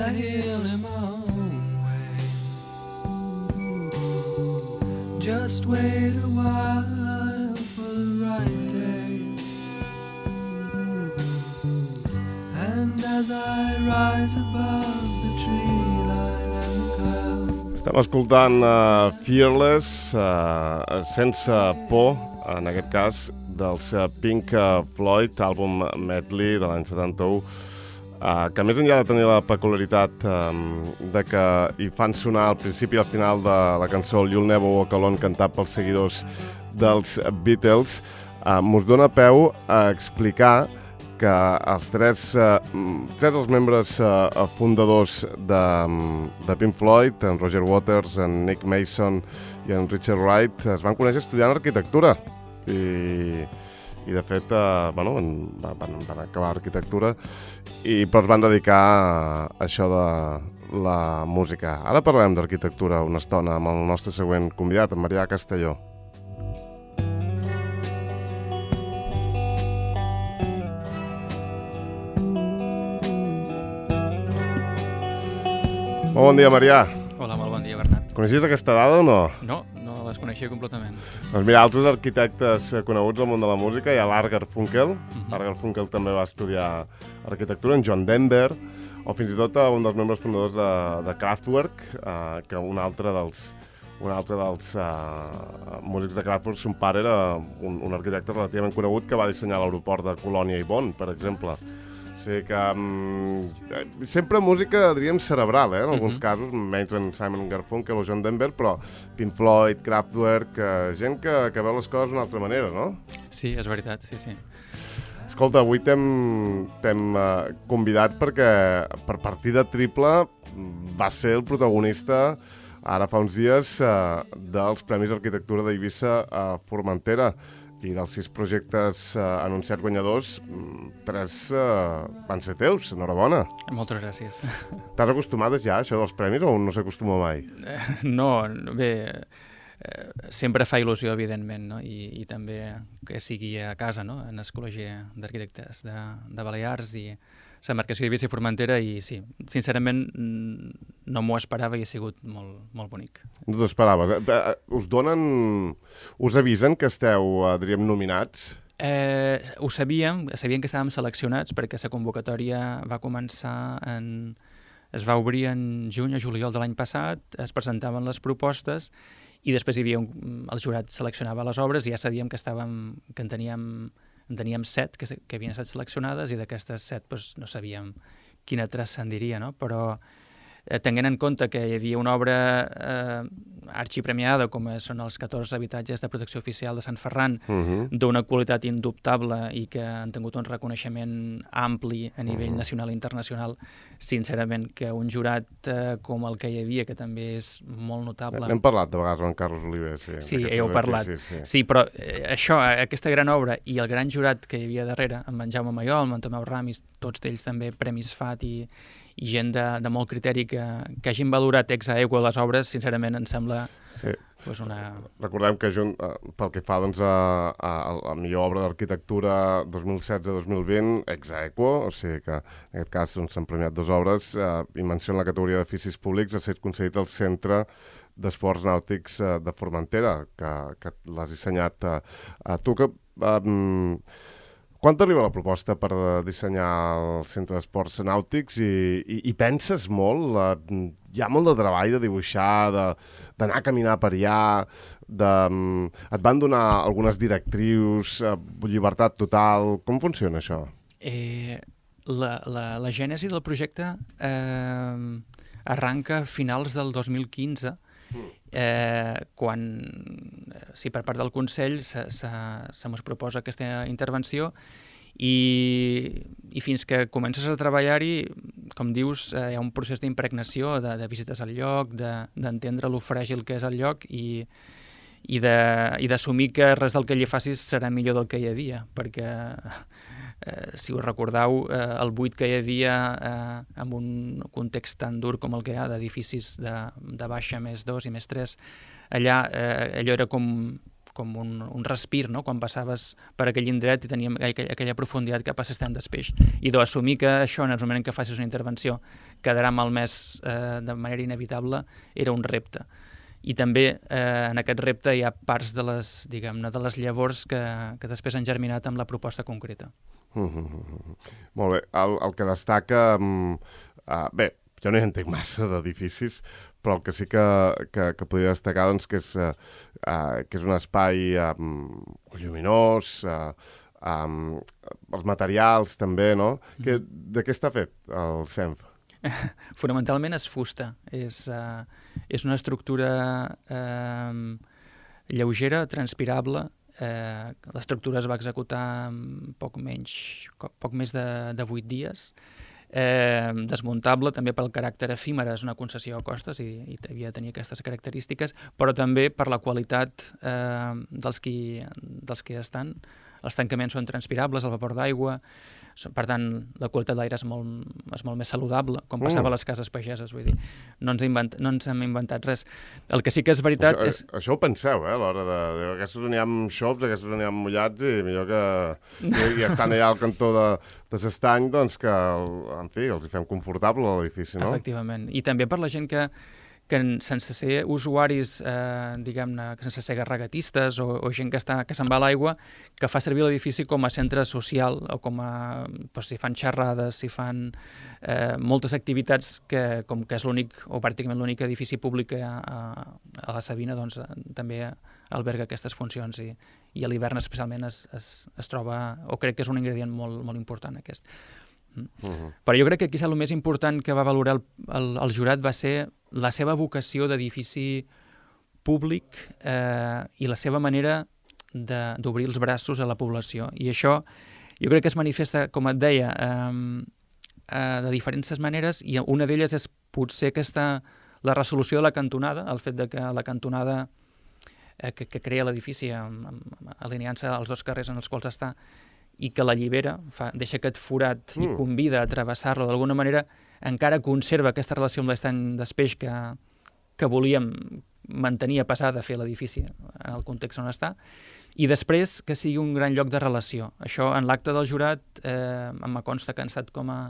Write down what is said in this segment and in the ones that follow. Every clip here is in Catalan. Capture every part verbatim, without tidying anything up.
I heal in my own way. Just wait a while for the right day. And as I rise above the tree line and the cloud. Estem escoltant uh, Fearless, uh, sense por, en aquest cas, dels uh, Pink Floyd, àlbum medley de l'any setanta-u, uh, que més enllà de tenir la peculiaritat um, de que hi fan sonar al principi i al final de la cançó You'll Never Walk Alone, cantat pels seguidors dels Beatles, uh, mos dona peu a explicar que els tres, uh, tres dels membres uh, fundadors de, de Pink Floyd, en Roger Waters, en Nick Mason i en Richard Wright, es van conèixer estudiant arquitectura. I, i de fet, uh, bueno, van, van acabar arquitectura i però es van dedicar a això de la música. Ara parlarem d'arquitectura una estona amb el nostre següent convidat, en Marià Castelló. Molt bon dia, Marià. Hola, molt bon dia, Bernat. Coneixies aquesta dada o no? No, no les coneixia completament. Doncs mira, altres arquitectes coneguts al món de la música, hi ha l'Art Garfunkel. Uh-huh. L'Art Garfunkel també va estudiar arquitectura, en John Denver, o fins i tot un dels membres fundadors de, de Kraftwerk, uh, que un altre dels, un altre dels uh, músics de Kraftwerk, son pare era un, un arquitecte relativament conegut que va dissenyar l'aeroport de Colònia i Bonn, per exemple. O sigui que um, sempre música, diríem, cerebral, eh, en alguns uh-huh. casos, menys en Simon Garfunkel o John Denver, però Pink Floyd, Kraftwerk, uh, gent que, que veu les coses d'una altra manera, no? Sí, és veritat, sí, sí. Escolta, avui t'hem uh, convidat perquè per partida triple va ser el protagonista ara fa uns dies uh, dels Premis d'Arquitectura d'Eivissa a Formentera. I dels sis projectes uh, anunciats guanyadors, tres uh, van ser teus. Enhorabona. Moltes gràcies. T'has acostumat ja a això dels premis o no s'acostuma mai? Eh, no, bé, eh, sempre fa il·lusió, evidentment, no? I, i també que sigui a casa, no? En el Col·legi d'Arquitectes de, de Balears i la marcació d'Eivissa i Formentera, i sí, sincerament no m'ho esperava i ha sigut molt, molt bonic. No t'ho esperaves. Eh? Us donen, us avisen que esteu, eh, diríem, nominats? Eh, ho sabíem, sabíem que estàvem seleccionats perquè la convocatòria va començar en... es va obrir en juny o juliol de l'any passat, es presentaven les propostes i després hi havia un, el jurat seleccionava les obres i ja sabíem que estàvem, que en teníem, en teníem set que, que havien estat seleccionades i d'aquestes set doncs, no sabíem quina transcendiria, no? Però eh, tenint en compte que hi havia una obra eh, arxipremiada com són els catorze habitatges de protecció oficial de Sant Ferran, uh-huh. d'una qualitat indubtable i que han tingut un reconeixement ampli a nivell uh-huh. nacional i internacional, sincerament que un jurat eh, com el que hi havia, que també és molt notable... N'hem parlat de vegades amb en Carlos Oliver, sí. Sí, heu parlat. Sí, sí. sí però eh, això, aquesta gran obra i el gran jurat que hi havia darrere, amb en Jaume Mayol, amb en Tomeu Ramis, tots ells també premis F A T i, i gent de, de molt criteri que, que hagin valorat ex aequo les obres, sincerament em sembla sí. pues una... Recordem que junt, eh, pel que fa doncs, a, a, a la millor obra d'arquitectura dos mil setze dos mil vint, ex aequo, o sigui que en aquest cas doncs, s'han premiat dues obres, eh, i menció en la categoria d'edificis públics ha estat concedit al Centre d'Esports Nàutics eh, de Formentera, que, que l'has dissenyat eh, a tu. Que, eh, quan t'arriba la proposta per dissenyar el Centre d'Esports Nàutics i, i, i penses molt? La, hi ha molt de treball de dibuixar, d'anar a caminar per allà, de, et van donar algunes directrius, llibertat total, com funciona això? Eh, la, la, la gènesi del projecte eh, arranca a finals del dos mil quinze, Eh, quan, sí, per part del Consell se, se, se mos proposa aquesta intervenció i, i fins que comences a treballar-hi, com dius, eh, hi ha un procés d'impregnació, de, de visites al lloc, d'entendre de, lo fràgil que és el lloc i, i d'assumir que res del que hi facis serà millor del que hi havia, perquè eh, si us recordeu, eh, el buit que hi havia eh, en un context tan dur com el que hi ha d'edificis de, de baixa més dos i més tres, allà eh, allò era com, com un, un respir, no? Quan passaves per aquell indret i teníem aquella, aquella profunditat cap a l'estany d'espeix. I d'assumir que això, en el moment en què facis una intervenció, quedarà malmès eh, de manera inevitable, era un repte. I també eh, en aquest repte hi ha parts de les, diguem-ne, de les llavors que, que després han germinat amb la proposta concreta. Mm-hmm. Molt bé. El, el que destaca... Um, uh, bé, jo no hi entenc massa d'edificis, però el que sí que, que, que podria destacar doncs, que, és, uh, uh, que és un espai um, lluminós, uh, um, els materials també, no? Mm-hmm. Que, de què està fet el Senf? Fonamentalment és fusta. És, uh, és una estructura uh, lleugera, transpirable. Uh, l'estructura es va executar en poc menys, poc més de, de vuit dies. Eh, desmuntable també pel caràcter efímer, és una concessió a costes i, i havia de tenir aquestes característiques, però també per la qualitat eh, dels, qui, dels que estan. Els tancaments són transpirables, el vapor d'aigua, per tant la qualitat de l'aire és, molt, és molt més saludable, com passava mm. a les cases pageses, vull dir, no ens, invent, no ens hem inventat res. El que sí que és veritat això, és... Això ho penseu, eh, a l'hora de... de aquests n'hi ha xops, aquests n'hi ha mullats, i millor que... I estan allà al cantó de, de l'estany, doncs que, en fi, els hi fem confortable a l'edifici, no? Efectivament. I també per la gent que que sense ser usuaris, eh, diguem-ne, sense ser regatistes o, o gent que, està, que se'n va a l'aigua, que fa servir l'edifici com a centre social o com a, doncs, si fan xerrades, si fan eh, moltes activitats que, com que és l'únic o pràcticament l'únic edifici públic a, a, a la Sabina, doncs també alberga aquestes funcions i, i a l'hivern especialment es, es, es troba, o crec que és un ingredient molt, molt important aquest. Uh-huh. Però jo crec que aquí el més important que va valorar el, el, el jurat va ser la seva vocació d'edifici públic eh, i la seva manera d'obrir els braços a la població. I això jo crec que es manifesta, com et deia, eh, eh, de diferents maneres, i una d'elles és potser aquesta, la resolució de la cantonada, el fet de que la cantonada eh, que, que crea l'edifici alineant-se als dos carrers en els quals està, i que l'allibera, fa, deixa aquest forat mm. i convida a travessar-lo d'alguna manera, encara conserva aquesta relació amb l'estany d'espeix que, que volíem mantenir a pesar de fer l'edifici en el context on està, i després que sigui un gran lloc de relació. Això en l'acte del jurat eh, em consta que han estat com a,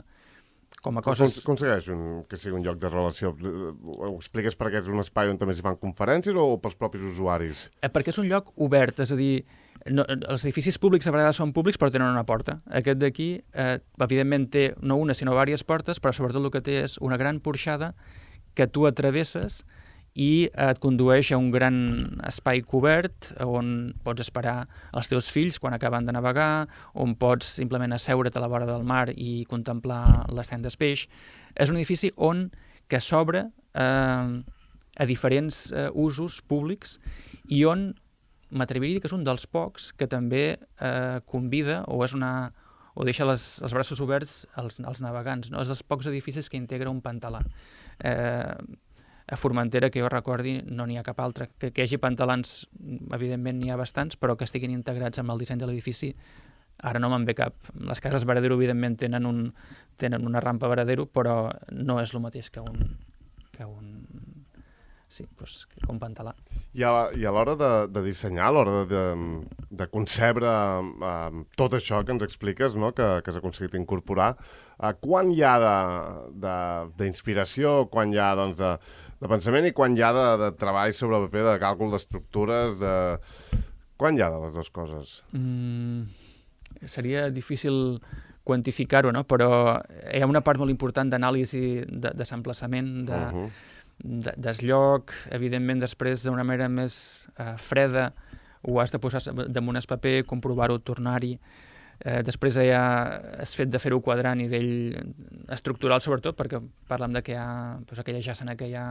com a coses... Com, com segueix un, que sigui un lloc de relació? Ho expliques perquè és un espai on també s'hi fan conferències o pels propis usuaris? Eh, perquè és un lloc obert, és a dir, no, els edificis públics a vegades són públics però tenen una porta. Aquest d'aquí, eh, evidentment, té no una sinó diverses portes, però sobretot el que té és una gran porxada que tu atravesses i et condueix a un gran espai cobert on pots esperar els teus fills quan acaben de navegar, on pots simplement asseure't a la vora del mar i contemplar l'estany d'espeix. És un edifici on que s'obre eh, a diferents eh, usos públics i on m'atreviria a dir que és un dels pocs que també eh, convida o és una o deixa les, els braços oberts als, als navegants. No? És dels pocs edificis que integra un pantalà. Eh, a Formentera, que jo recordi, no n'hi ha cap altre. Que, que hi hagi pantalans, evidentment n'hi ha bastants, però que estiguin integrats amb el disseny de l'edifici, ara no me'n ve cap. Les cases Varadero, evidentment, tenen, un, tenen una rampa Varadero, però no és el mateix que un... Que un sí, doncs, que un pantalà. I a, i a l'hora de, de dissenyar, a l'hora de, de, de concebre uh, tot això que ens expliques, no? que, que has aconseguit incorporar, uh, quan hi ha d'inspiració, quan hi ha doncs, de, de pensament i quan hi ha de, de treball sobre paper, de càlcul d'estructures, de... quan hi ha de les dues coses? Mm, seria difícil quantificar-ho, no? Però hi ha una part molt important d'anàlisi de, de s'emplaçament, de... Uh-huh. des lloc, evidentment després d'una manera més eh, freda ho has de posar damunt el paper, comprovar-ho, tornar-hi. Eh, després hi ha el fet de fer-ho quadrar a nivell estructural sobretot, perquè parlem de que hi ha doncs, aquella jàssena que hi ha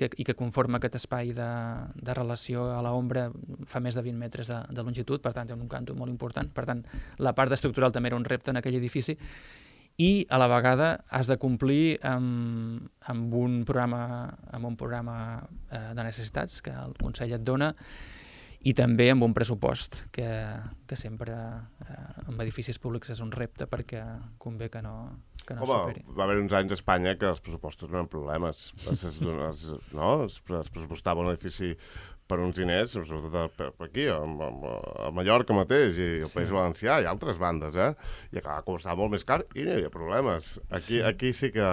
que, i que conforma aquest espai de, de relació a l'ombra fa més de vint metres de, de longitud, per tant té un canto molt important. Per tant, la part estructural també era un repte en aquell edifici. I a la vegada has de complir amb, amb un programa, amb un programa eh, de necessitats que el Consell et dona i també amb un pressupost que, que sempre eh, amb edificis públics és un repte perquè convé que no, que no Home, superi. va haver uns anys a Espanya que els pressupostos no eren problemes. Es, es, es, no? es, es pressupostava un edifici per uns diners, sobretot per, per aquí, a, a Mallorca mateix, i el sí. País Valencià, i altres bandes, eh? I acaba costant molt més car i no hi havia problemes. Aquí sí, aquí sí que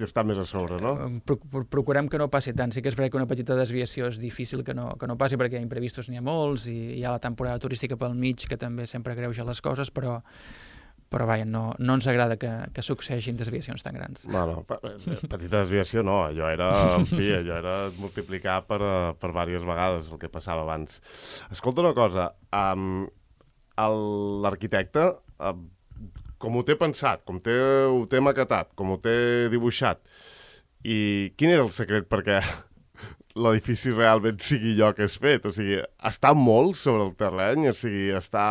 està més a sobre, no? Pro, pro, procurem que no passi tant. Sí que és veritat que una petita desviació és difícil que no, que no passi, perquè imprevistos n'hi ha molts, i hi ha la temporada turística pel mig, que també sempre greuja les coses, però però vaja, no, no ens agrada que, que succeeixin desviacions tan grans. No, no, petita desviació no, allò era, en fi, allò era multiplicar per, per diverses vegades el que passava abans. Escolta una cosa, um, l'arquitecte, um, com ho té pensat, com té, ho té maquetat, com ho té dibuixat, i quin era el secret perquè l'edifici realment sigui allò que és fet? O sigui, està molt sobre el terreny, o sigui, està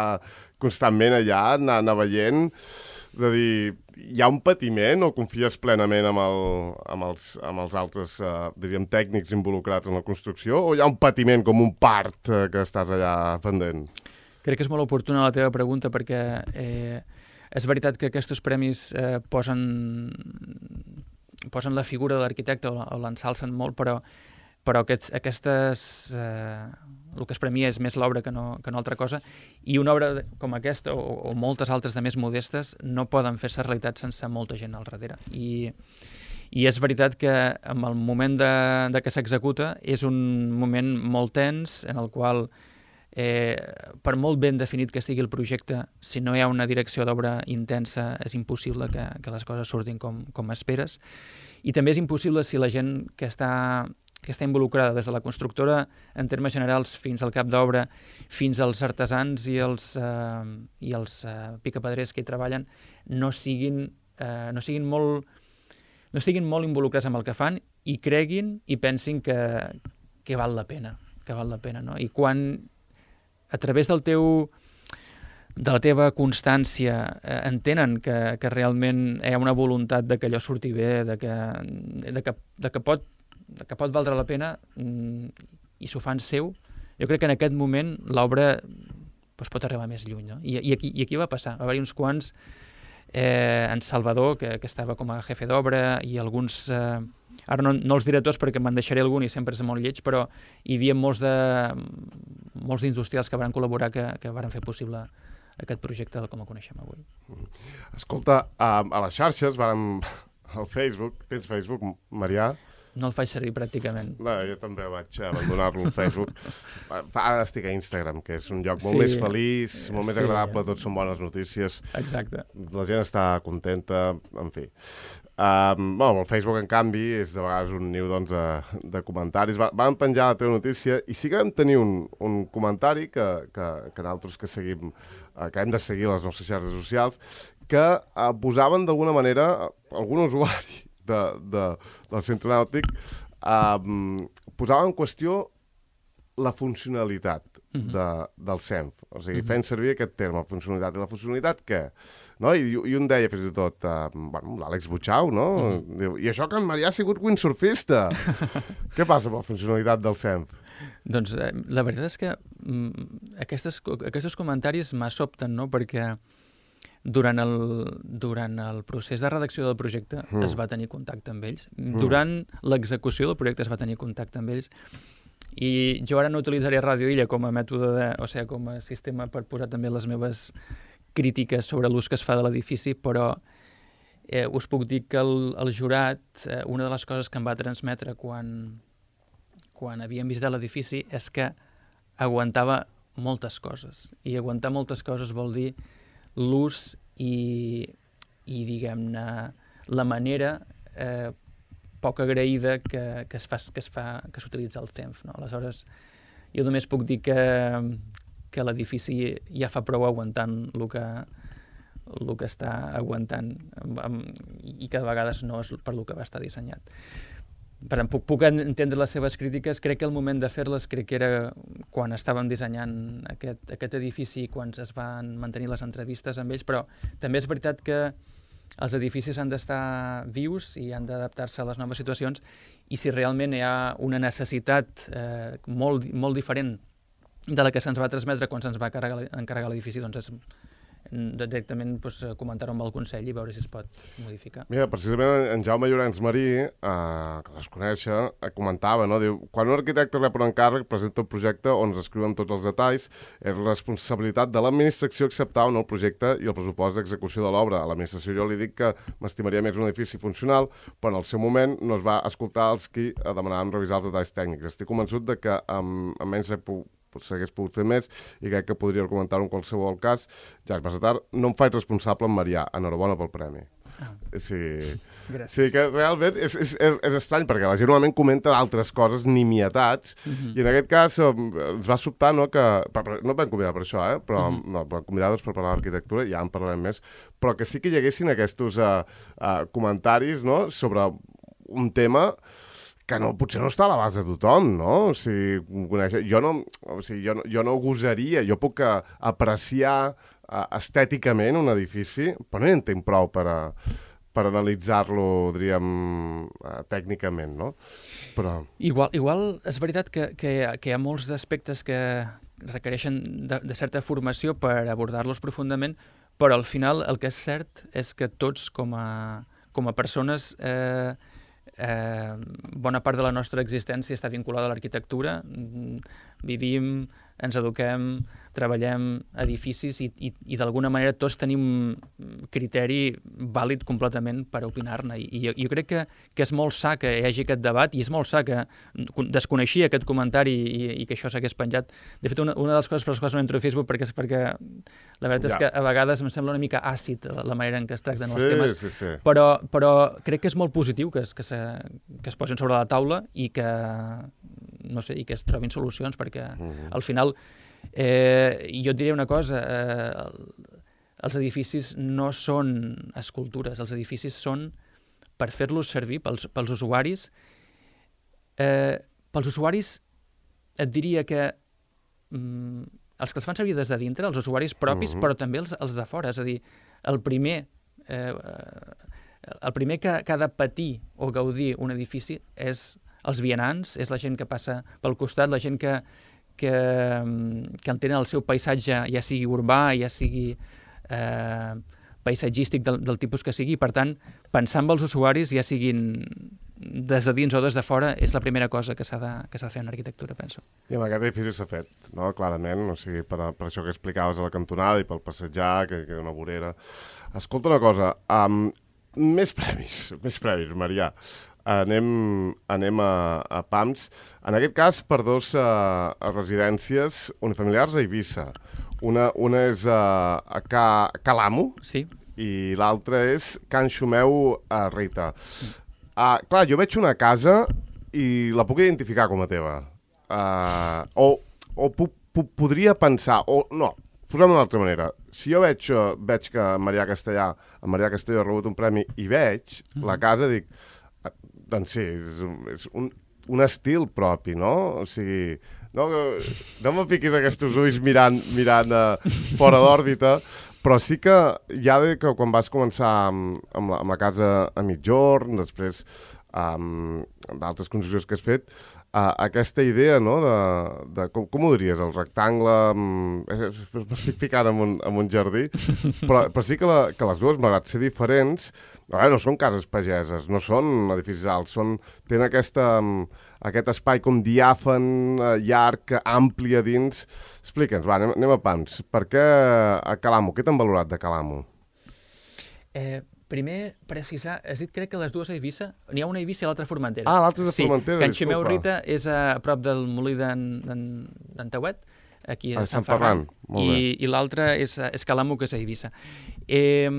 constantment allà, anar, anar veient, de dir, hi ha un patiment o confies plenament amb, el, amb, els, amb els altres, eh, diríem, tècnics involucrats en la construcció, o hi ha un patiment com un part eh, que estàs allà pendent? Crec que és molt oportuna la teva pregunta, perquè eh, és veritat que aquests premis eh, posen, posen la figura de l'arquitecte o, o l'ensalcen molt, però però aquests, aquestes, eh, el que es premia és més l'obra que no, que no altra cosa, i una obra com aquesta, o, o moltes altres de més modestes, no poden fer-se realitat sense molta gent al darrere. I, i és veritat que en el moment de, de que s'executa és un moment molt tens, en el qual, eh, per molt ben definit que sigui el projecte, si no hi ha una direcció d'obra intensa, és impossible que, que les coses surtin com, com esperes. I també és impossible si la gent que està que està involucrada des de la constructora en termes generals fins al cap d'obra, fins als artesans i els, eh, i els eh, picapedrers que hi treballen, no siguin, eh, no siguin molt no estiguin molt involucrats amb el que fan i creguin i pensin que, que val la pena, que val la pena, no? I quan a través del teu de la teva constància eh, entenen que, que realment hi ha una voluntat de que allò surti bé, de que, de que, de que pot que pot valdre la pena mm, i s'ho fan seu, jo crec que en aquest moment l'obra doncs, pot arribar més lluny. No? I, i, aquí, I aquí va passar. Va haver uns quants, eh, en Salvador, que, que estava com a jefe d'obra, i alguns, eh, ara no, no els diré tots perquè me'n deixaré algun i sempre és molt lleig, però hi havia molts de molts industrials que van col·laborar que, que van fer possible aquest projecte com el coneixem avui. Escolta, a, a les xarxes, vam, al Facebook, tens Facebook, Marià? No el faig servir pràcticament. No, jo també vaig abandonar-lo al Facebook. Ara estic a Instagram, que és un lloc molt sí, més feliç, molt més sí, agradable, tots són bones notícies. Exacte. La gent està contenta, en fi. Um, bueno, el Facebook, en canvi, és de vegades un niu doncs, de, de comentaris. Va, van penjar la teva notícia i sí que vam tenir un, un comentari que, que, que nosaltres que seguim, eh, que hem de seguir les nostres xarxes socials, que eh, posaven d'alguna manera algun usuari De, de, del centre nàutic, um, posava en qüestió la funcionalitat uh-huh. de, del S E M F. O sigui, uh-huh. fent servir aquest terme, funcionalitat. I la funcionalitat, què? No? I, I un deia, fins i tot, uh, bueno, l'Àlex Butxau, no? Uh-huh. Diu, i això que en Marià ha sigut windsurfista. Què passa amb la funcionalitat del S E M F? Doncs eh, la veritat és que mm, aquestes, aquests comentaris m'assobten, no? Perquè Durant el, durant el procés de redacció del projecte mm. es va tenir contacte amb ells. Mm. Durant l'execució del projecte es va tenir contacte amb ells. I jo ara no utilitzaré Ràdio Illa com a mètode, de, o sigui, com a sistema per posar també les meves crítiques sobre l'ús que es fa de l'edifici, però eh, us puc dir que el, el jurat, eh, una de les coses que em va transmetre quan, quan havíem visitat l'edifici és que aguantava moltes coses. I aguantar moltes coses vol dir l'ús i, i diguem-ne, la manera eh, poc agraïda que, que es fa, que es fa, que s'utilitza el S E M F. No? Aleshores, jo només puc dir que, que l'edifici ja fa prou aguantant el que, el que està aguantant i que de vegades no és per lo que va estar dissenyat. Per tant, puc, puc entendre les seves crítiques. Crec que el moment de fer-les crec que era quan estàvem dissenyant aquest, aquest edifici, quan es van mantenir les entrevistes amb ells, però també és veritat que els edificis han d'estar vius i han d'adaptar-se a les noves situacions, i si realment hi ha una necessitat eh, molt, molt diferent de la que se'ns va transmetre quan se'ns va encarregar, encarregar l'edifici, doncs és, directament pues, comentar-ho amb el Consell i veure si es pot modificar. Mira, precisament en Jaume Llorenç Marí, eh, que les conèixer, eh, comentava, no? Diu, quan un arquitecte rep un encàrrec, presenta un projecte on es escriuen tots els detalls, és responsabilitat de l'administració acceptar o no el projecte i el pressupost d'execució de l'obra. A l'administració jo li dic que m'estimaria més un edifici funcional, però en el seu moment no es va escoltar els qui demanaven revisar els detalls tècnics. Estic convençut de que amb, amb menys s'hagués pogut fer més i crec que podria argumentar-ho en qualsevol cas. Jacques Bassetar, no em faig responsable en Marià. Enhorabona pel premi. Ah. Sí. Gràcies. Sí, que realment és, és, és, és estrany, perquè la gent normalment comenta altres coses, nimietats, uh-huh. i en aquest cas eh, ens va sobtar, no, que... No et van convidar per això, eh? Però uh-huh. no, van convidar doncs, per parlar d'arquitectura, ja en parlarem més, però que sí que hi haguessin aquests uh, uh, comentaris, no?, sobre un tema que no, potser no està a l'abast de tothom, no? O sigui, conèixer... jo, no, o sigui, jo, no, jo no gosaria, jo puc uh, apreciar uh, estèticament un edifici, però no hi entenc prou per, uh, per analitzar-lo, diríem, uh, tècnicament, no? Però... Igual, igual és veritat que, que, que hi ha molts aspectes que requereixen de, de certa formació per abordar-los profundament, però al final el que és cert és que tots com a, com a persones... Eh, Eh, bona part de la nostra existència està vinculada a l'arquitectura. Vivim, ens eduquem, treballem edificis i, i, i d'alguna manera tots tenim criteri vàlid completament per opinar-ne. I, i jo, jo crec que, que és molt sa que hi hagi aquest debat i és molt sa que desconeixia aquest comentari i, i que això s'hagués penjat. De fet, una, una de les coses per les quals no entro a Facebook perquè, perquè la veritat ja. és que a vegades em sembla una mica àcid la, la manera en què es tracten sí, els temes, sí, sí. Però, però crec que és molt positiu que es, que, se, que es posin sobre la taula i que, no sé, i que es trobin solucions, perquè uh-huh. al final Eh, jo et diré una cosa, eh, els edificis no són escultures, els edificis són per fer-los servir pels, pels usuaris. Eh, pels usuaris et diria que mm, els que els fan servir des de dintre, els usuaris propis, uh-huh. però també els, els de fora, és a dir, el primer, eh, el primer que, que ha de patir o gaudir un edifici és els vianants, és la gent que passa pel costat, la gent que que, que entenen el seu paisatge, ja sigui urbà, ja sigui eh, paisatgístic del, del tipus que sigui. Per tant, pensar en els usuaris, ja siguin des de dins o des de fora, és la primera cosa que s'ha de, que s'ha de fer en arquitectura, penso. I amb aquest edifici s'ha fet, no? Clarament, o sigui, per, per això que explicaves a la cantonada i pel passejar, que, que una vorera. Escolta una cosa, um, més premis, més premis, Marià. Anem, anem a, a Pams, en aquest cas per dos uh, residències unifamiliars a Eivissa. Una, una és uh, a Ca, Calamo sí. i l'altra és Can Xumeu a Rita. Uh, clar, jo veig una casa i la puc identificar com a teva. Uh, o o puc, puc, podria pensar, o no, posem d'una altra manera. Si jo veig, uh, veig que Marià Castellà, en Marià Castellà ha rebut un premi i veig mm-hmm. la casa, dic... Doncs sí, és, un, és un, un estil propi, no? O sigui, no, no me fiquis aquests ulls mirant, mirant uh, fora d'òrbita, però sí que ja de que quan vas començar amb, amb, la, amb la casa a migjorn, després um, d'altres construccions que has fet, uh, aquesta idea, no?, de, de com, com ho diries, el rectangle, um, m'estic ficant en un, en un jardí, però, però sí que, la, que les dues, malgrat ser diferents, no, no són cases pageses, no són edificis alts, són, tenen aquesta, um, aquest espai com diàfan, uh, llarg, ampli a dins. Explica'ns, va, anem, anem a Pams. Per què a Calamo? Què t'han valorat de Calamo? Eh, primer, precisar, has dit crec que les dues a Eivissa, n'hi ha una a Eivissa i l'altra a Formentera. Ah, l'altra és a Formentera, sí, Can Xumeu Rita és a prop del molí d'en Tauet, aquí a, a Sant, Sant Ferran, Ferran. i, i l'altra és, és Calamo, que és a Eivissa. Eh,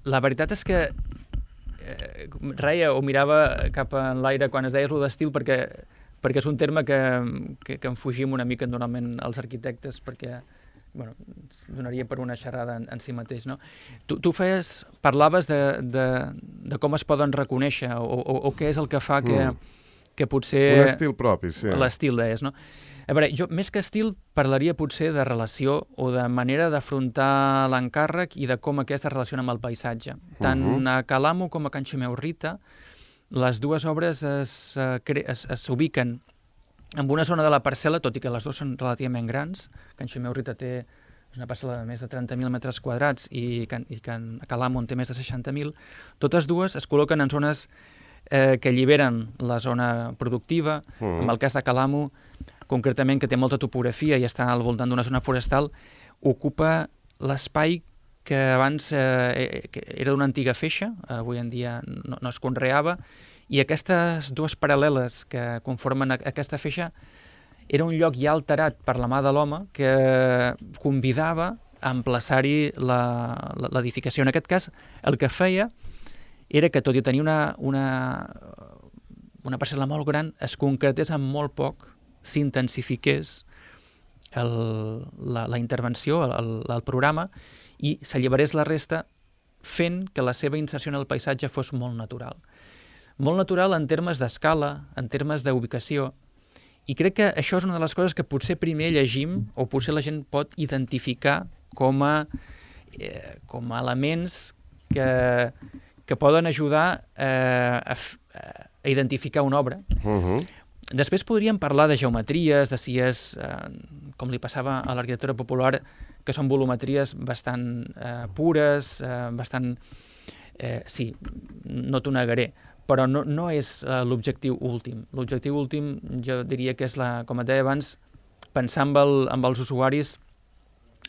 La veritat és que eh, reia o mirava cap en l'aire quan es deia lo d'estil perquè, perquè és un terme que, que, que en fugim una mica normalment els arquitectes perquè bueno, ens donaria per una xerrada en, en si mateix, no? Tu, tu feies, parlaves de, de, de com es poden reconèixer o, o, o què és el que fa que, mm. que potser... Un estil propi, sí. L'estil deies, no? A veure, jo més que estil parlaria potser de relació o de manera d'afrontar l'encàrrec i de com aquest es relaciona amb el paisatge. Tant uh-huh. a Calamo com a Can Xumeu Rita, les dues obres s'ubiquen en una zona de la parcel·la, tot i que les dues són relativament grans. Can Xumeu Rita té una parcel·la de més de trenta mil metres quadrats i que, i que a Calamo en té més de seixanta mil, totes dues es col·loquen en zones eh, que alliberen la zona productiva. Mm. En el cas de Calamo, concretament, que té molta topografia i està al voltant d'una zona forestal, ocupa l'espai que abans eh, que era d'una antiga feixa, avui en dia no, no es conreava, i aquestes dues paral·leles que conformen aquesta feixa era un lloc ja alterat per la mà de l'home que convidava a emplaçar-hi l'edificació. En aquest cas, el que feia era que, tot i tenir una, una, una parcel·la molt gran, es concretés amb molt poc, s'intensifiqués la, la intervenció, el, el programa, i s'alliberés la resta fent que la seva inserció en el paisatge fos molt natural. Molt natural en termes d'escala, en termes d'ubicació, i crec que això és una de les coses que potser primer llegim o potser la gent pot identificar com a, eh, com a elements que, que poden ajudar eh, a, a identificar una obra. Uh-huh. Després podríem parlar de geometries, de si és, eh, com li passava a l'arquitectura popular, que són volumetries bastant eh, pures, eh, bastant... Eh, sí, no t'ho negaré, però no, no és uh, l'objectiu últim. L'objectiu últim jo diria que és, la, com et deia abans, pensar amb, el, amb els usuaris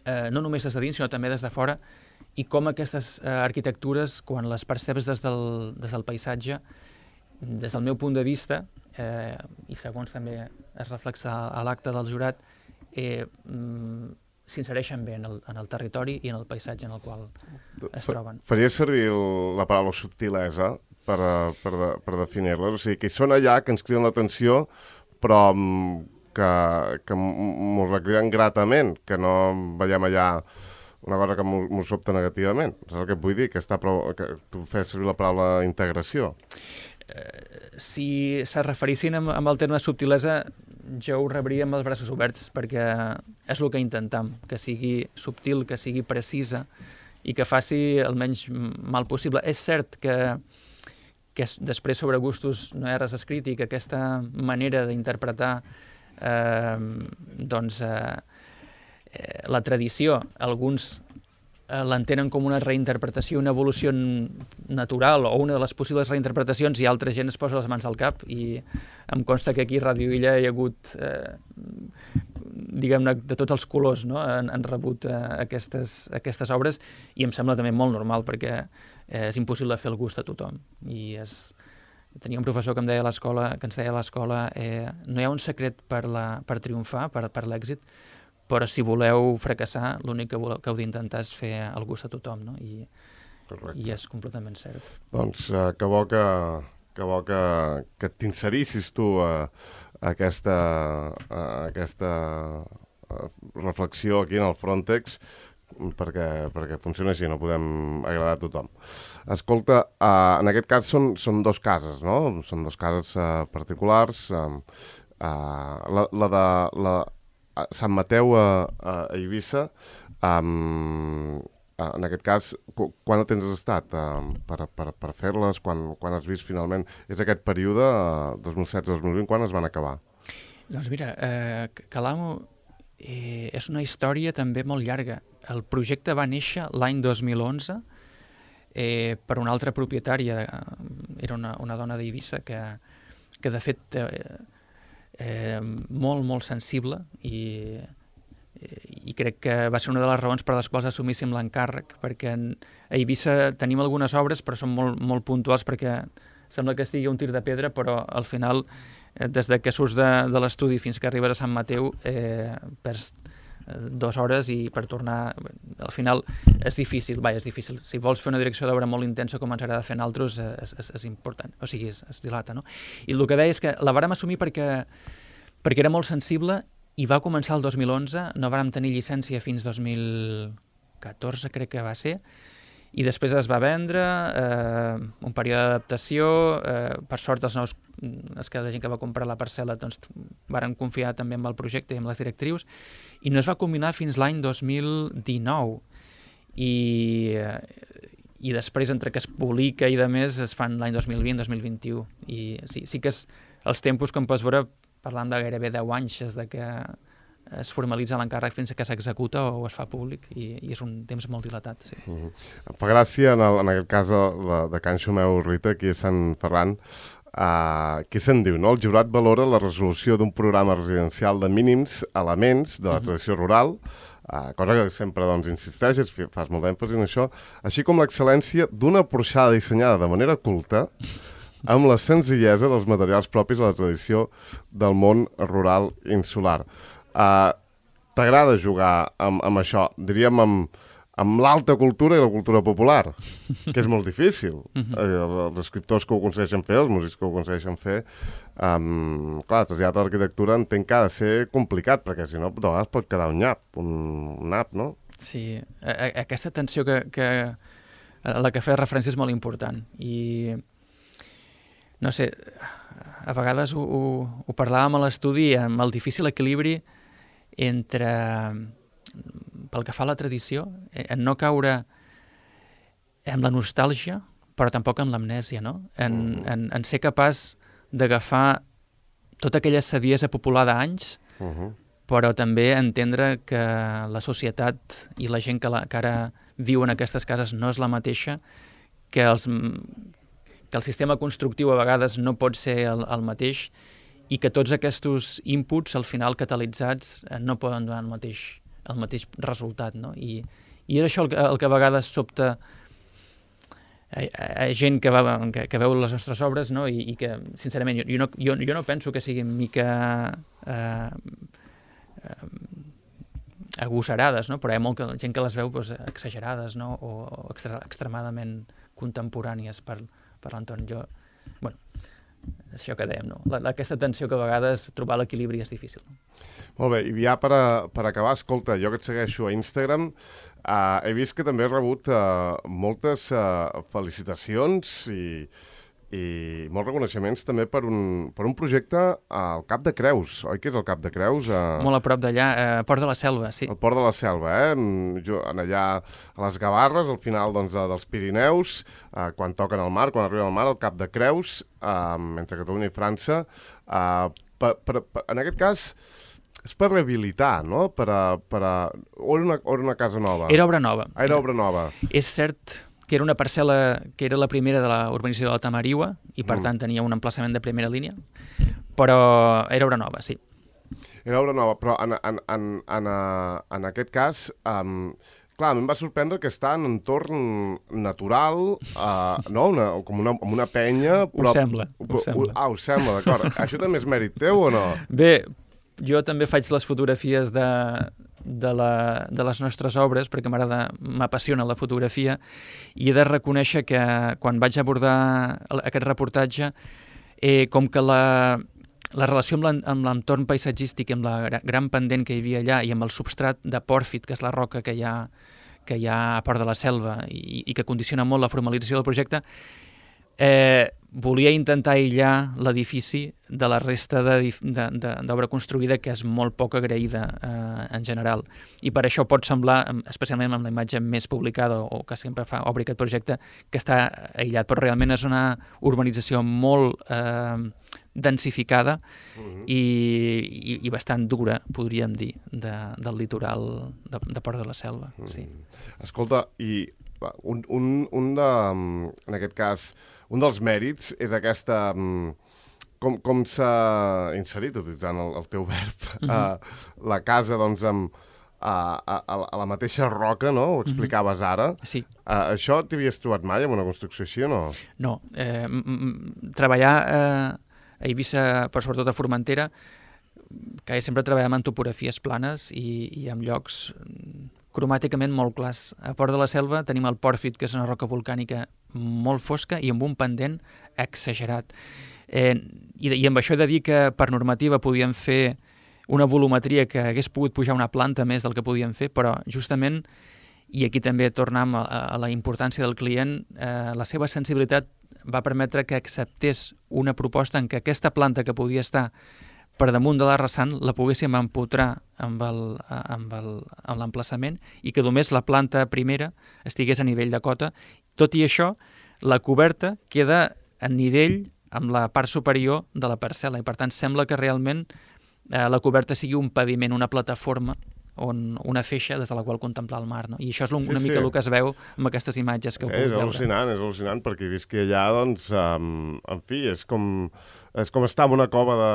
eh, no només des de dins, sinó també des de fora, i com aquestes uh, arquitectures, quan les perceps des del, des del paisatge, des del meu punt de vista, eh, i segons també es reflexa a l'acte del jurat, eh, mm, s'insereixen bé en el, en el territori i en el paisatge en el qual es troben. Faria servir el, la paraula subtilesa per, per, per definir-les. O sigui, que són allà, que ens criden l'atenció, però que, que mos la criden gratament, que no veiem allà una cosa que mos sobta negativament. És el que vull dir, que, està prou, que tu fes servir la paraula integració. Eh, si se referissin amb, amb el terme subtilesa, jo ho rebria amb els braços oberts, perquè és el que intentam, que sigui subtil, que sigui precisa i que faci el menys mal possible. És cert que que després sobre gustos no hi ha res escrit i que aquesta manera d'interpretar eh, doncs, eh, la tradició, alguns eh, l'entenen com una reinterpretació, una evolució natural o una de les possibles reinterpretacions, i altra gent es posa les mans al cap, i em consta que aquí a Ràdio Illa hi ha hagut eh, diguem-ne, de tots els colors, no? han, han rebut eh, aquestes, aquestes obres, i em sembla també molt normal, perquè eh, és impossible fer el gust a tothom. I és... Tenia un professor que em deia a l'escola, que ens deia a l'escola, eh, no hi ha un secret per, la, per triomfar, per, per l'èxit, però si voleu fracassar, l'únic que, voleu, que heu d'intentar és fer el gust a tothom, no? I, i és completament cert. Doncs eh, que bo que, que, bo que, que t'inserissis tu a, a aquesta, a aquesta a reflexió aquí en el Frontex, perquè, perquè funciona així, no podem agradar a tothom. Escolta, uh, en aquest cas són, són dos cases, no? Són dos cases uh, particulars. Uh, uh, la, la de la, uh, Sant Mateu a, a Eivissa, um, uh, en aquest cas, qu quan temps has estat uh, per, per, per fer-les? Quan, quan has vist finalment? És aquest període, uh, dos mil setze dos mil vint, quan es van acabar? Doncs mira, eh, Calamo eh, és una història també molt llarga. El projecte va néixer l'any dos mil onze eh, per una altra propietària, era una, una dona d'Eivissa que, que de fet eh, eh, molt, molt sensible, i, i crec que va ser una de les raons per les quals assumíssim l'encàrrec, perquè a Eivissa tenim algunes obres però són molt, molt puntuals, perquè sembla que estigui un tir de pedra, però al final, eh, des de que surts de, de l'estudi fins que arribes a Sant Mateu, eh, perds dues hores, i per tornar al final és difícil, vai, és difícil. Si vols fer una direcció d'obra molt intensa com ens agrada fer en altres, és, és, és important, o sigui, es, es dilata, no? I el que deia és que la vàrem assumir perquè, perquè era molt sensible, i va començar el dos mil onze, no vàrem tenir llicència fins dos mil catorze, crec que va ser, i després es va vendre, eh, un període d'adaptació, eh, per sort els nous, els que la gent que va comprar la parcel·la doncs varen confiar també en el projecte i en les directrius, i no es va combinar fins l'any dos mil dinou, i, i després entre que es publica i de més es fan l'any dos mil vint dos mil vint-i-u, i sí, sí que és, els tempos, com pots veure, parlant de gairebé deu anys des de que es formalitza l'encàrrec fins que s'executa o es fa públic, i, i és un temps molt dilatat. Sí. Uh-huh. Em fa gràcia, en, el, en aquest cas de, de Can Xumeu Rita, aquí a Sant Ferran, uh, què se'n diu, no? El jurat valora la resolució d'un programa residencial de mínims elements de la tradició rural, uh, cosa que sempre doncs, insisteixes, fas molt d'èmfasi en això, així com l'excel·lència d'una porxada dissenyada de manera culta amb la senzillesa dels materials propis de la tradició del món rural insular. Uh, T'agrada jugar amb, amb això, diríem amb, amb l'alta cultura i la cultura popular, que és molt difícil. Uh-huh. eh, els escriptors que ho aconsegueixen fer, els músics que ho aconsegueixen fer, um, clar, traslladar l'arquitectura entenc que ha de ser complicat, perquè si no, de vegades pot quedar un nyap, un, un nap, no? Sí, a, a, aquesta tensió que, que, a la que feia referència és molt important, i no sé, a vegades ho, ho, ho parlàvem a l'estudi amb el difícil equilibri entre, pel que fa a la tradició, en no caure en la nostàlgia, però tampoc en l'amnèsia, no? En, en, en ser capaç d'agafar tota aquella saviesa popular d'anys, uh-huh. però també entendre que la societat i la gent que, la, que ara viu en aquestes cases no és la mateixa, que, els, que el sistema constructiu a vegades no pot ser el, el mateix, i que tots aquests inputs, al final catalitzats, no poden donar el mateix, el mateix resultat, no? I, i és això el que, el que a vegades sobta a, a gent que, va, que, que veu les nostres obres, no? I, i que, sincerament, jo, jo, no, jo, jo no penso que siguin mica eh, eh, agosarades, no? Però hi ha molta gent que les veu doncs, exagerades, no? O, o extra, extremadament contemporànies per, per l'entorn. Jo, bueno, és això que dèiem, no? La, aquesta tensió que a vegades trobar l'equilibri és difícil. Molt bé, i ja per, a, per acabar, escolta, jo que et segueixo a Instagram, uh, he vist que també has rebut uh, moltes uh, felicitacions i, i molts reconeixements també per un, per un projecte al Cap de Creus, oi que és el Cap de Creus? Uh, Molt a prop d'allà, a uh, Port de la Selva, sí. El Port de la Selva, eh? Jo, en allà a les Gavarres, al final doncs, dels Pirineus, uh, quan toquen al mar, quan arriben al mar, el Cap de Creus, uh, entre Catalunya i França, uh, per, per, per, en aquest cas és per rehabilitar, no? Per a, per a... O, era una, o era una casa nova? Era obra nova. Ah, era obra nova. És cert que era una parcel·la que era la primera de la urbanització de la Tamariua i, per mm. tant, tenia un emplaçament de primera línia, però era obra nova, sí. Era obra nova, però en, en, en, en, en aquest cas, um, clar, a mi em va sorprendre que està en un entorn natural, uh, no? Una, com una, una penya... Però, ho sembla, ho sembla. Ah, ho sembla, d'acord. Això també és mèrit teu o no? Bé, jo també faig les fotografies de, de, la, de les nostres obres, perquè m'agrada, m'apassiona la fotografia, i he de reconèixer que quan vaig abordar aquest reportatge, eh, com que la, la relació amb l'entorn paisatgístic, amb la gran pendent que hi havia allà i amb el substrat de pòrfit, que és la roca que hi ha, que hi ha a Port de la Selva i, i que condiciona molt la formalització del projecte, eh, volia intentar aïllar l'edifici de la resta d'obra construïda, que és molt poc agraïda eh, en general. I per això pot semblar, especialment amb la imatge més publicada o que sempre fa obri aquest projecte, que està aïllat, però realment és una urbanització molt eh, densificada uh-huh. i, i, i bastant dura, podríem dir, de, del litoral de, de Port de la Selva. Uh-huh. Sí. Escolta, i un, un, un de, en aquest cas, un dels mèrits és aquesta... Com, com s'ha inserit, utilitzant el, el teu verb, uh-huh. uh, la casa, doncs, amb, uh, a, a la mateixa roca, no? Ho explicaves uh-huh. ara. Sí. Uh, això t'havies trobat mai en una construcció així o no? No. Eh, m -m treballar eh, a Eivissa, però sobretot a Formentera, que sempre treballem en topografies planes i, i en llocs cromàticament molt clars. A Port de la Selva tenim el pòrfit, que és una roca volcànica molt fosca i amb un pendent exagerat. Eh, i, I amb això he de dir que per normativa podíem fer una volumetria que hagués pogut pujar una planta més del que podíem fer, però justament, i aquí també tornem a, a la importància del client, eh, la seva sensibilitat va permetre que acceptés una proposta en què aquesta planta que podia estar per damunt de la rasant la poguéssim empotrar amb l'emplaçament i que només la planta primera estigués a nivell de cota. Tot i això, la coberta queda a nivell amb la part superior de la parcel·la i, per tant, sembla que realment eh, la coberta sigui un paviment, una plataforma, on una feixa des de la qual contemplar el mar, no? I això és una sí, mica sí. el que es veu amb aquestes imatges que sí, heu pogut és veure. al·lucinant, és al·lucinant, perquè visqui allà, doncs, um, en fi, és com, és com estar en una cova de...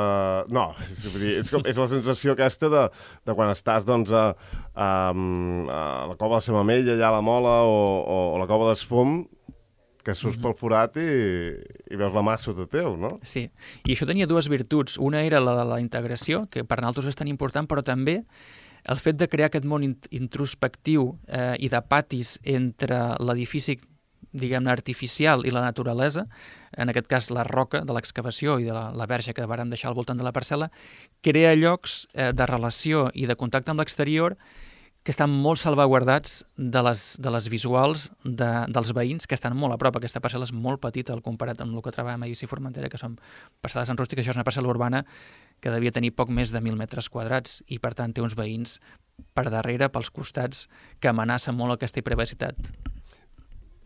No, és, dir, és, com, és la sensació aquesta de, de quan estàs, doncs, a, a, a la cova de Samamella, allà a la Mola, o, o, o la cova d'Esfum, que surts mm-hmm. pel forat i, i veus la mà sota teu, no? Sí, i això tenia dues virtuts. Una era la de la integració, que per nosaltres és tan important, però també el fet de crear aquest món introspectiu eh, i de patis entre l'edifici, diguem-ne, artificial i la naturalesa, en aquest cas la roca de l'excavació i de la, la verge que vàrem deixar al voltant de la parcel·la, crea llocs eh, de relació i de contacte amb l'exterior que estan molt salvaguardats de les, de les visuals de, dels veïns, que estan molt a prop. Aquesta parcel·la és molt petita al comparat amb el que trobàvem a Eivissa i Formentera, que són parcel·les en rústic. Això és una parcel·la urbana que devia tenir poc més de mil metres quadrats i, per tant, té uns veïns per darrere, pels costats, que amenacen molt aquesta privacitat.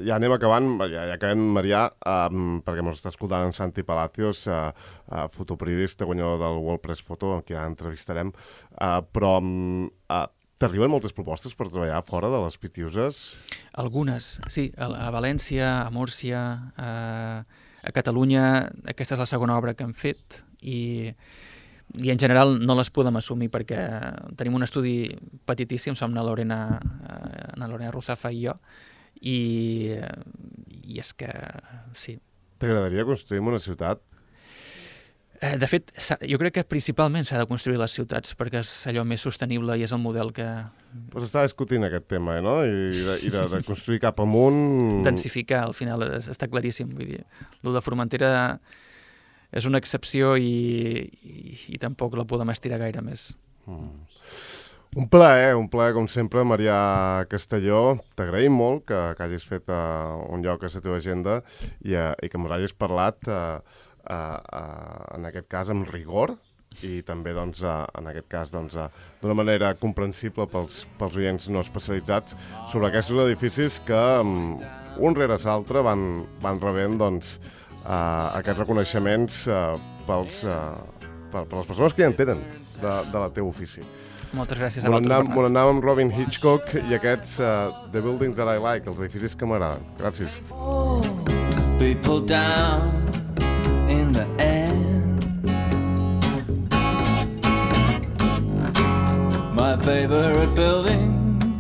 Ja anem acabant, ja, ja acabem, Marià, um, perquè ens està escoltant en Santi Palacios, uh, uh, fotoperiodista, guanyador del World Press Photo, que ja entrevistarem, uh, però um, uh, t'arriben moltes propostes per treballar fora de les Pitiuses? Algunes, sí. A, a València, a Múrcia, a, a Catalunya. Aquesta és la segona obra que hem fet i, i en general no les podem assumir perquè tenim un estudi petitíssim, som na Lorena, na Lorena Ruzafa i jo, i, i és que sí. T'agradaria construir una ciutat? De fet, jo crec que principalment s'ha de construir les ciutats perquè és allò més sostenible i és el model que... Pues està discutint aquest tema, no? I de, i de, de construir cap amunt... Densificar, al final, està claríssim. Vull dir, el de Formentera és una excepció i, i, i tampoc la podem estirar gaire més. Mm. Un plaer, un plaer, com sempre, Marià Castelló. T'agraïm molt que, que hagis fet uh, un lloc a la teva agenda i, uh, i que m'hagis parlat... Uh, Uh, uh, en aquest cas amb rigor i també doncs, uh, en aquest cas doncs, uh, d'una manera comprensible pels, pels oients no especialitzats sobre aquests edificis que um, un rere l'altre van, van rebent doncs, uh, aquests reconeixements uh, pels, uh, per, per les persones que ja en tenen de, de la teu ofici. Moltes gràcies a vosaltres, Bernat. Molt anàvem amb Robin Hitchcock i aquests uh, The Buildings That I Like, els edificis que m'agraden. Gràcies. People down in the end, my favorite buildings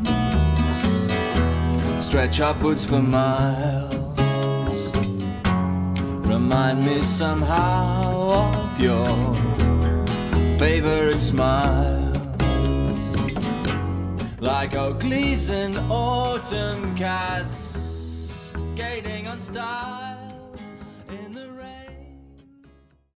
stretch upwards for miles, remind me somehow of your favorite smiles, like oak leaves in autumn cascading on stars.